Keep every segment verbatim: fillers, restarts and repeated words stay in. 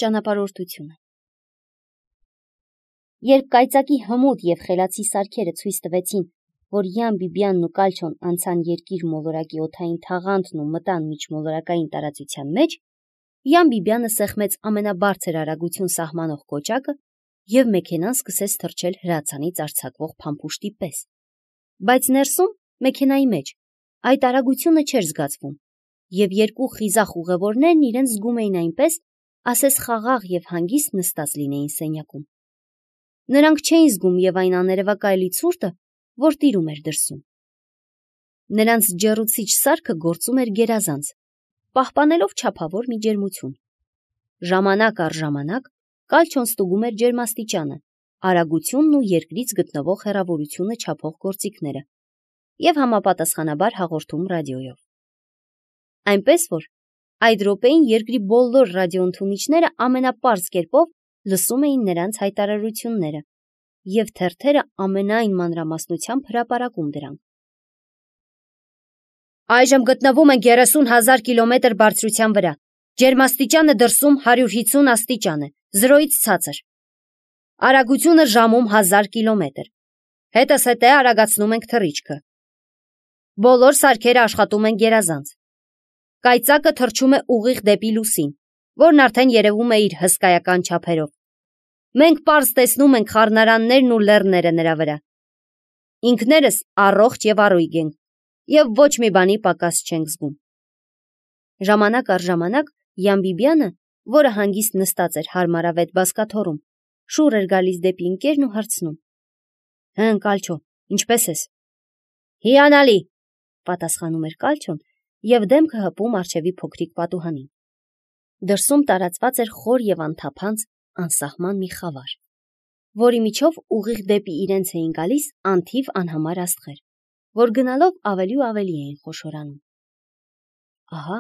Ճանապարհորդությունը։ Երբ կայծակի հմուտ և խելացի սարքերը ցույց տվեցին, որ Յան Բիբիանն ու Կալչոն անցան երկիր մոլորակի օդային թաղանթն ու մտան միջմոլորակային տարածության մեջ, Յան Բիբիանը սեղմեց ամենաբարձր արագություն սահմանող կոճակը և մեքենան սկսեց թռչել հրացանից արձակվող փամփուշտի պես։ Բայց ներսում, մեքենայի մեջ, այդ արագությունը չէր զգացվում, և երկու խիզախ ուղևորներն իրենց զգում էին այնպես, ասես խաղաղ և հանգիստ նստած լինեին սենյակում։ Նրանք չէին զգում և այն աներևակայելի ցուրտը, որ տիրում էր դրսում։ Նրանց ջեռուցիչ սարքը գործում էր գերազանց, պահպանելով չափավոր մի ջերմություն։ Ժամանակ առ ժամանակ Կալչոն ստուգում էր ջերմաստիճանը, արագությունն ու երկրից գտնվող հեռավորությունը չափող գործիքները և համապատասխանաբար հաղորդում ռադիոյով։ Այնպես որ այդ րոպեին երկրի բոլոր ռադիոընդունիչները ամենապարզ կերպով լսում էին նրանց հայտարարությունները և թերթերը ամենայն մանրամասնությամբ հրապարակում դրանք։ Այժմ գտնվում ենք երեսուն հազար կիլոմետր բարձրության վրա։ Ջերմաստիճանը դրսում հարյուր հիսուն աստիճան է, զրոյից ցածր։ Արագությունը ժամում հազար կիլոմետր։ Հետզհետե արագացնում ենք թռիչքը։ Բոլոր սարքերը աշխատում են գերազանց։ Կայծակը թռչում է ուղիղ դեպի լուսին, որն արդեն երևում է իր հսկայական չափերով։ Մենք պարզ տեսնում ենք խառնարաններն ու լեռները նրա վրա։ Ինքներս առողջ և առույգ ենք և ոչ մի բանի պակաս չենք զգում։ Ժամանակ առ ժամանակ Յան Բիբիանը, որը հանգիստ նստած էր հարմարավետ բազկաթոռում, շուռ էր գալիս դեպի ընկերն ու հարցնում. Հըն, Կալչո, ինչպե՞ս ես։ Հիանալի, պատասխանում էր Կալչոն և դեմքը հպում առջևի փոքրիկ պատուհանին։ Դրսում տարածված էր խոր և անթափանց, անսահման մի խավար, որի միջով ուղիղ դեպի իրենց էին գալիս անթիվ անհամար աստղեր, որ գնալով ավելի ու ավելի էին խոշորանում։ Ահա,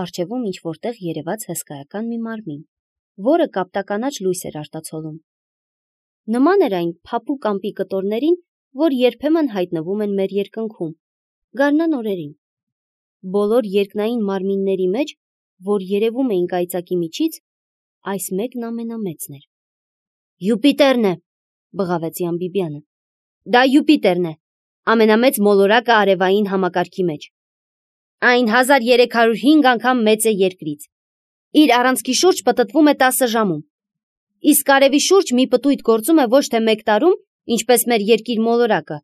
առջևում ինչ-որտեղ երևաց հսկայական մի մարմին, որը կապտականաչ լույս էր արտացոլում։ Նման էր այն փափուկ ամպի կտորներին, որ երբեմն հայտնվում են մեր երկնքում, գարնան օրերին։ Բոլոր երկնային մարմինների մեջ, որ երևում էին կայծակի միջից, այս մեկն ամենամեծն էր։ Յուպիտերն է, բղավեց Յան Բիբիանը։ Դա Յուպիտերն է, ամենամեծ մոլորակը արևային համակարգի մեջ։ Այն հազար երեք հարյուր հինգ անգամ մեծ է երկրից։ Իր առանցքի շուրջ պտտվում է տասը ժամում։ Իսկ արևի շուրջ մի պտույտ գործում է ոչ թե մեկ տարում, ինչպես մեր երկիր մոլորակը,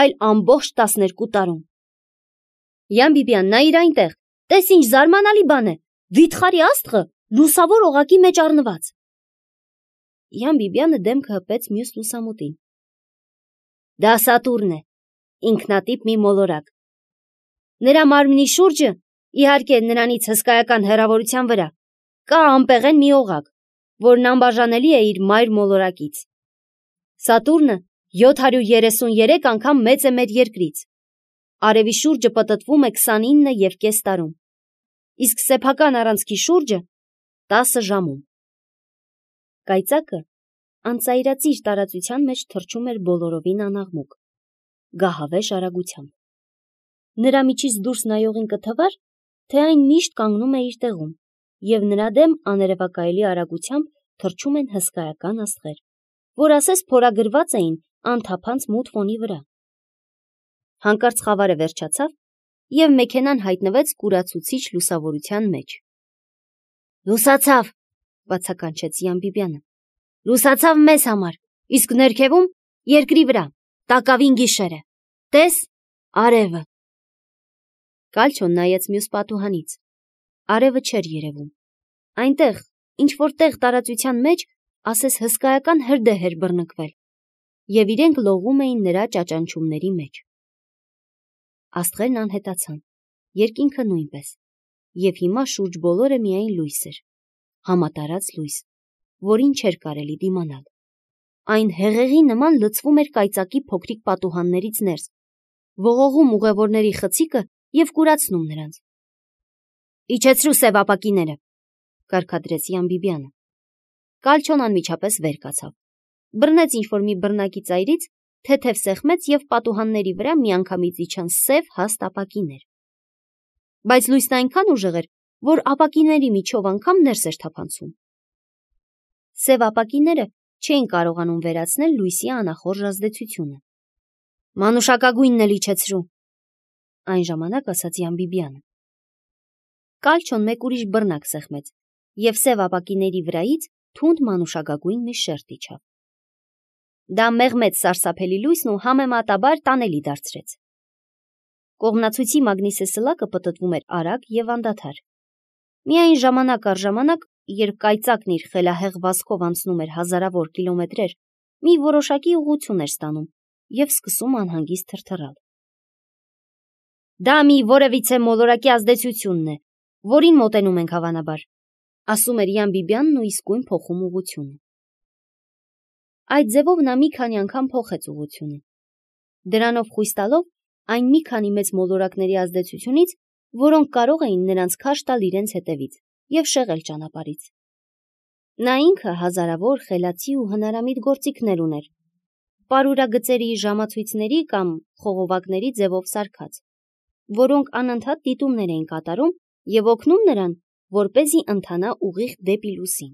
այլ ամբողջ տասներկու տարում։ Յան Բիբիան, նայիր այնտեղ, տես ինչ զարմանալի բան է, վիթխարի աստղը լուսավոր օղակի մեջ առնված։ Յան Բիբիանը դեմքը հպեց մյուս լուսամուտին։ Դա Սատուրն է, ինքնատիպ մի մոլորակ։ Նրա մարմնի շուրջը, իհարկե նրանից հսկայական հեռավորության վրա, կա անպեղեն մի օղակ, որն անբաժանելի է իր մայր մոլորակից։ Սատուրնը յոթ հարյուր երեսուն երեք անգամ մեծ է մեր երկրից։ Արևի շուրջը պտտվում է քսանինը և կես տարում, իսկ սեփական առանցքի շուրջը տասը ժամում։ Կայծակը անծայրածիր տարածության մեջ թռչում էր բոլորովին անաղմուկ, գահավեժ արագությամբ։ Նրա միջից դուրս նայողին կթվար, թե այն միշտ կանգնում է իր տեղում, և նրա դեմ աներևակայելի արագությամբ թռչում են հսկայական աստղեր, որ ասես փորագրված էին անթափանց մութ ֆոնի վրա։ Հանկարծ խավարը վերջացավ, և մեքենան հայտնվեց կուրացուցիչ լուսավորության մեջ։ Լուսացավ, բացականչեց Յան Բիբիանը։ Լուսացավ մեզ համար, իսկ ներքևում, երկրի վրա, տակավին գիշեր է։ Տես, արևը։ Կալչոն նայեց մյուս պատուհանից։ Արևը չէր երևում։ Այնտեղ, ինչ-որտեղ տարածության մեջ, ասես հսկայական հրդեհ էր բռնկվել, և իրենք լողում էին նրա ճաճանչումների մեջ։ Աստղերն անհետացան, երկինքը նույնպես, և հիմա շուրջ բոլորը միայն լույս էր, համատարած լույս, որին չէր կարելի դիմանալ։ Այն հեղեղի նման լցվում էր կայծակի փոքրիկ պատուհաններից ներս, ողողում ուղևորների խցիկը և կուրացնում նրանց։ Իջեցրու սև ապակիները, կարգադրեց Յան Բիբիանը։ Կալչոն անմիջապես վեր կացավ, բռնեց ինչ-որ մի բռնակի ծայրից, թեթև սեղմեց և պատուհանների վրա միանգամից իջան սև հաստ ապակիներ։ Բայց լույսն այնքան ուժեղ էր, որ ապակիների միջով անգամ ներս էր թափանցում։ Սև ապակիները չէին կարողանում վերացնել լույսի անախորժ ազդեցությունը։ Մանուշակագույնն էլ իջեցրու, այն ժամանակ ասաց Յանբիբյանը։ Կալչոն մեկ ուրիշ բռնակ սեղմեց, և սև ապակիների վրայից թունդ մանուշակագույն մի շերտ իջավ։ Դա մեղմեց սարսափելի լույսն ու համեմատաբար տանելի դարձրեց։ Կողմնացույցի մագնիսեսլակը պտտվում էր արագ և անդադար։ Միայն ժամանակ առ ժամանակ, երբ կայծակն իր խելահեղ վազքով անցնում էր հազարավոր կիլոմետրեր, մի որոշակի ուղղություն էր ստանում և սկսում անհանգիստ թրթռալ։ Դա մի որևիցե մոլորակի ազդեցությունն է, որին մոտենում ենք հավանաբար, ասում էր Յանբիբյանն ու իսկույն փոխում ուղղությունը։ Այդ ձևով նա մի քանի անգամ փոխեց ուղղությունը, դրանով խույս տալով այն մի քանի մեծ մոլորակների ազդեցությունից, որոնք կարող էին նրանց քաշ տալ իրենց հետևից և շեղել ճանապարհից։ Նա ինքը հազարավոր խելացի ու հնարամիտ գործիքներ ուներ, պարուրագծերի, ժամացույցների կամ խողովակների ձևով սարքած, որոնք անընդհատ դիտումներ էին կատարում և օգնում նրան, որպեսզի ընթանա ուղիղ դեպի լուսին։